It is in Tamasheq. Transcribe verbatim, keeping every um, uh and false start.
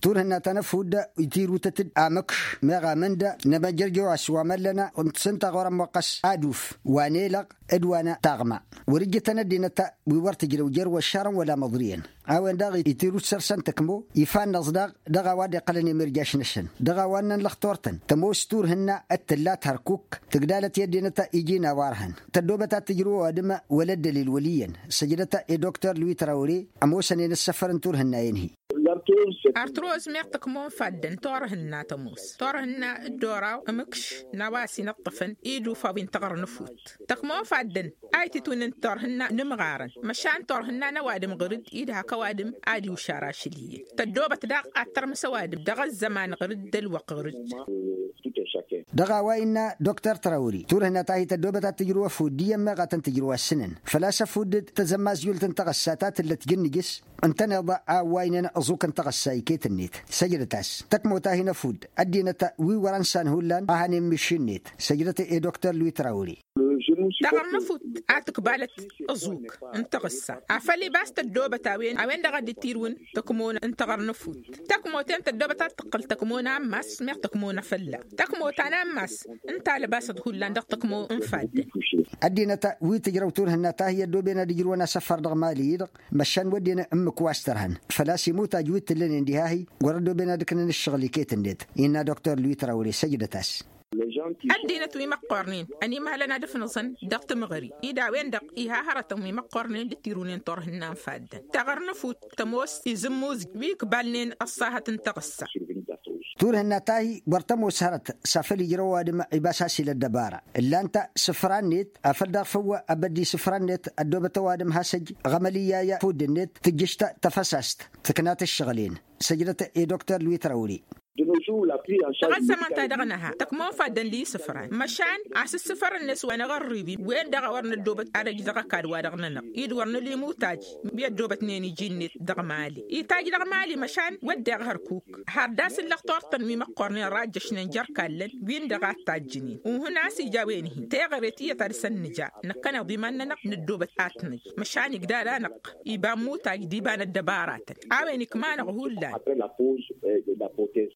Turhǝnna ta n-ăfudd itirutăt-dd amǝkš meɣ amǝnd n-emăjrăjăw a-s wa măllănă n-tǝsǝnta ɣur-ămmoqqăs aduf wa n-elăɣ d-wa n-taɣma. Wăr-ǝjjǝtăn ăddinăt wi wăr tǝjrăw jer-wăššarăn wăla măḍriyăn. A-wen-dăɣ itirut săr-săn tăkmo ifannăẓ daɣ dăɣ-a-wa dd-iqqălăn imirjaš-năsăn dăɣ-a-wa ǝnnăn lăxtor-tăn. Tămoos turhǝnna d-tǝllat hărkuk tǝgdalăt i-ăddinăt iji n-a-wa ărhăn tăddoobăt ad-tǝjrǝw ăwadǝm wăla ăddălil wăl' iyyăn. Săjdăt i-doktor lui trawre ămoosăn-en ǝssăfăr n-turhǝnna-en-hi. Artǝroz meɣ tăkmo n-faddăn turhǝnna tămoos turhǝnna d-oraw ǝmǝkš n-a-wa s-inǝṭṭăfăn idufa wi n-taɣăr n-efut. Tăkmo n-faddăn a ititwǝnǝn turhǝnna n-imɣarăn măšan turhǝnna n-ăwadǝm ɣǝr-dd-i d-hak ăwadǝm ad-iwšar ašăl iyyăn. Tăddoobăt daɣ ad-tărmǝs ăwadǝm dăɣ-ăzzăman ɣǝr-dd d-ălwăqq ɣǝr-dd. Dăɣ-a-wa innă doktor trawri turhǝnna ta hi-tăddoobăt ad-tǝjrǝw ăfudd iyyăn meɣ a tăn-tǝjrǝw assǝnăn făl-a-s ăfudd d-tazămmazjult n-taɣǝssa ta tǝllăt jǝnnǝjǝs. Ǝntăneḍ a ăwwaynen ăẓuk n-taɣǝssa iket-net. Săjdăt-as tăkmot a hin-ăfudd ăddinăt wi wăr-ănsan hullan a hanen mišin-net. Săjdăt i-doktor lui trawri. Taɣăr n-efut a tǝkbalăt ăẓuk n-taɣǝssa afăl ibas tăddoobăt a-wen a-wen-dăɣ a dd-tirǝwǝn tăkmo n-taɣăr n-efut. Tăkmot-en tăddoobăt ad-tǝqqǝl tăkmo n-ammas meɣ tăkmo n-afălla. Tăkmot ta n-ammas ǝnta a lăbasăt hullan dăɣ-tăkmo n-faddăn. Ăddinăt wi tǝjrăw turhǝnna ta hi-ăddooben ad-ǝjrǝwăn asăfăr dăɣ-mali-i-dăɣ măšan wădden ǝmmǝk wa s-tărhăn făl-a-s imutaj wi t-tǝllănen diha-hi. Wăr-ăddooben ad-ǝknăn ǝššăɣǝl iket-net innă doktor lui trawre săjdăt-as. Ăddinăt wi măqqornen ănimalăn ad-ǝfnăẓăn dăɣ-tǝmɣări-i d-a-wen-dăɣ iha hărătăn wi măqqornen d-tirǝwnen turhǝnna n-faddăn taɣăr n-efut tămoos izǝmmuzǝj wi ǝkbalnen ăṣṣahăt n-taɣǝssa. Turhǝnna ta hi wăr tămoos hărăt s-afăl ijrăw ăwadǝm ibas a-s ila ăddăbara ǝllan-t isǝfra-net afăl daɣ făw abădd isǝfra-net ăddoobăt ăwadǝm has-ăj ɣămăl iyyăy afudd-net tǝjjǝš tafăsast tǝknat ǝššăɣǝl-en. Săjdăt i-doktor lui trawri. Dăɣ-ăzzăman ta dăɣ-nǝha tăkmo n-faddăn d-isǝfran măšan asǝssǝfăr-net wa n-aɣărribi wen-dăɣ a wăr năddoobăt ad-ăj dăɣ-ăkall-wa-dăɣ-nănăɣ i-dd wăr nǝla imutaj wi ăddoobătnen iji-net dăɣ-mali itaj dăɣ-mali măšan wădden hărkuk. Har d-asǝllăɣ turtăn wi măqqornen rajjăšnen jer-kallăn win-dăɣ a t-tajjǝnen unhǝn a-s ija a-wen-hi teɣăre tiyyăt a dăɣ-săn nǝja. Năkkăneḍ iman-nănăɣ năddoobăt ad-t-năj măšan igdad-anăɣ iba n-imutaj d-iba n-ăddăbaratăn. A-wen ikma-năɣ hullan.